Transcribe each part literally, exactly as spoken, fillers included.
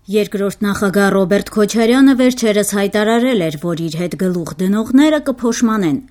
Երկրորդ նախագահ Ռոբերտ Քոչարյանը վերջերս հայտարարել էր, որ իր հետ գլուխ դնողները կփոշմանեն։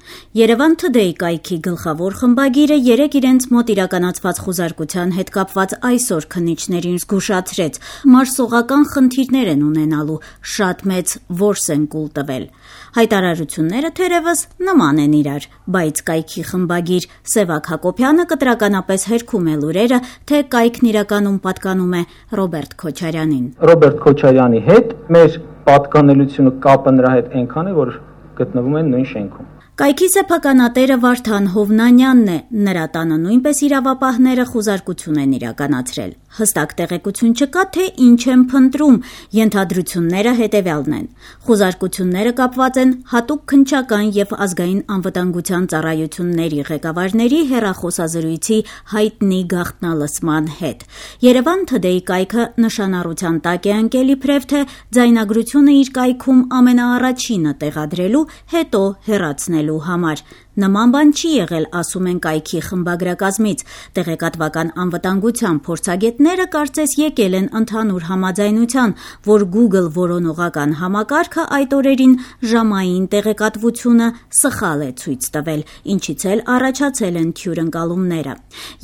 Երևան Today կայքի գլխավոր խմբագիրը երեկ իրենց մոտ իրականացված խուզարկության հետ կապված այսօր քննիչներին զգուշացրեց՝ մարսողական խնդիրներ են ունենալու, շատ մեծ որս են կուլ տվել։ Հայտարարությունները թերևս նման են իրար, բայց կայքի խմբագիր Սևակ Հակոբյանը կտրականապես հերքում է լուրերը, թե կայքն իրականում պատկանում է Ռոբերտ Քոչարյանին։ Ռոբերտ Քոչարյանի հետ մեր պատկանելությունը կապը նրա հետ այնքան է, որ գտնվում են նույն շենքում։ Կայքի սեփականատերը Վարդան Հովնանյանն է, նրա տանը նույնպես իրավապահները խուզարկություն են իրականացրել։ Հստակ տեղեկություն չկա, թե ինչ են փնտրում, ենթադրությունները հետևյալն են։ Խուզարկությունները կապված են հատուկ քննչական եւ ազգային անվտանգության ծառայությունների ղեկավարների հեռախոսազրույցի հայտնի գաղտնալսման հետ։ Երևան Today կայքը նշանառության տակ է ընկել իբրև թե ձայնագրությունը իր կայքում ամենաառաջինը տեղադրելու, հետո հեռացնելու համար։ Նման բան չի եղել, ասում են կայքի խմբագրակազմից։ Տեղեկատվական անվտանգության փորձագետները կարծես եկել են ընդհանուր համաձայնության, որ Google որոնողական համակարգը այդ օրերին ժամային տեղեկատվությունը սխալ է ցույց տվել, ինչից էլ առաջացել են թյուրընկալումները։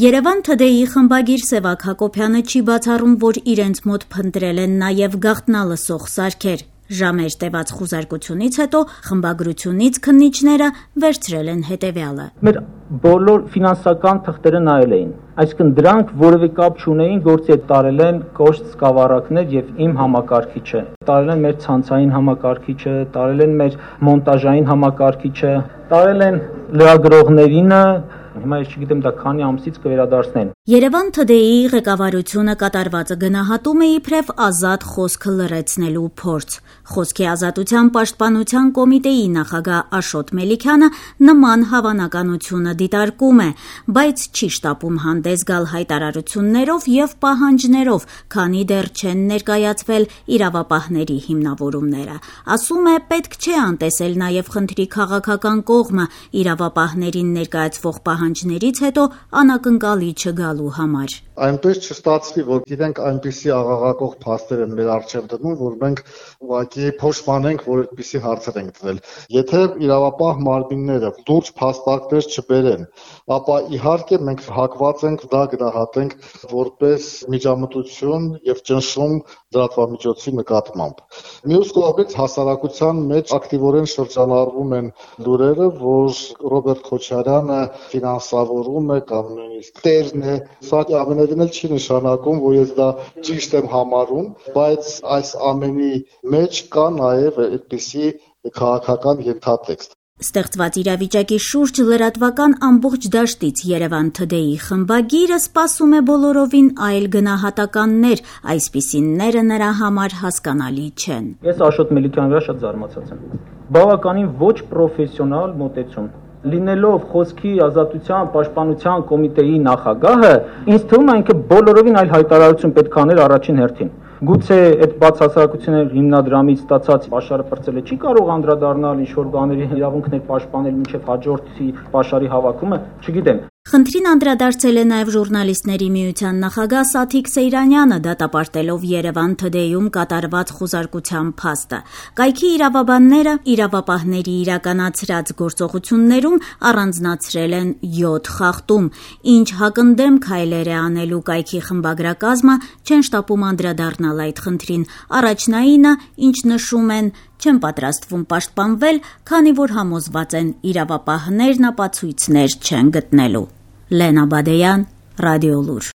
Երևան Today-ի խմբագիր Սևակ Հակոբյանը չի բացառում, որ իրենց մոտ փնտրել են նաև գաղտնալսող սարքեր։ Ժամեր տևած խուզարկությունից հետո խմբագրությունից քննիչները վերցրել են հետևյալը։ Մեր բոլոր ֆինանսական թղթերը նայել էին, այսինքն դրանք որևէ կապ չունեին գործի հետ, տարել են կոշտ սկավառակներ եւ իմ համակարգիչը, տարել են մեր ցանցային համակարգիչը, տարել են մեր մոնտաժային համակարգիչը, տարել են լրագրողներինը։ Հիմա ես չգիտեմ դա քանի ամսից կվերադարձնեն։ Երևան Today-ի ղեկավարությունը կատարվածը գնահատում է իբրև ազատ խոսքը լրացնելու փորձ։ Խոսքի ազատության պաշտպանության կոմիտեի նախագահ Աշոտ Մելիքյանը նման հավանականությունը դիտարկում է, բայց չի շտապում հանդես գալ հայտարարություններով եւ պահանջներով, քանի դեռ չեն ներկայացվել իրավապահների հիմնավորումները։ Ասում է, պետք չէ անտեսել նաեւ խնդրի քաղաքական կողմը իրավապահներին ներկայացվող պահանջներից հետո անակնկալի չգալու համար։ Այնպես չստացվի, որ իրենք այնպիսի աղաղակող փաստեր են մեր առջև դնում, որ մենք ուղղակի փոշմանենք, որ այդպիսի հարցեր ենք դրել։ Եթե իրավապահ մարմինները լուրջ փաստարկներ չբերեն, ապա իհարկե մենք հակված ենք դա գնահատենք որպես միջամտություն եւ ճնշում լրատվամիջոցի նկատմամբ։ Մյուս կողմից հասարակության մեջ ակտիվորեն շրջանառվում են լուրերը, որ Ռոբերտ Քոչարյանը ֆինանսավորում է կամ նույնիսկ տերն է, սա ամենևին էլ չի նշանակում, որ ես դա ճիշտ եմ համարում, բայց այս ամենի մեջ կա նաև այդպիսի քաղաքական ենթատեքստ։ Ստեղծված իրավիճակի շուրջ լրատվական ամբողջ դաշտից Երևան Today-ի խմբագիրը սպասում է բոլորովին այլ գնահատականներ, այսպիսինները նրա համար հասկանալի չեն։ Ես Աշոտ Մելիքյանի վրա շատ զարմացած եմ։ Բավականին ոչ պրոֆեսիոնալ մոտեցում։ Լինելով խոսքի ազատության պաշտպանության կոմիտեի նախագահը, ինձ թվում է ինքը բոլորովին այլ հայտարարություն պետք է աներ առաջին հերթին։ Գուցե այդ բացասարակությունների հիմնադրամից ստացած պաշարը պրծելը չի կարող անդրադառնալ ինչ-որ բաների իրավունքներ պաշտպանել մինչև հաջորդի պաշարի հավաքումը, չգիտեմ։ Խնդրին անդրադարձել է նաև ժուրնալիստների միության նախագահ Սաթիկ Սեյրանյանը, դատապարտելով Երևան Today-ում կատարված խուզարկության փաստը։ Կայքի իրավաբանները իրավապահների իրականացրած գործողություններում առանձնացրել են յոթ խախտում, ինչ հակընդդեմ քայլեր է անելու կայքի խմբագրակազմը, չեն շտապում անդրադառնալ այդ խնդրին։ Առաջնայինը, ինչ նշում են, չեն պատրաստվում պաշտպանվել, քանի որ համոզված են իրավապահներն ապացույցներ չեն գտնելու։ Լենա Բադեյան, Ռադիոլուր։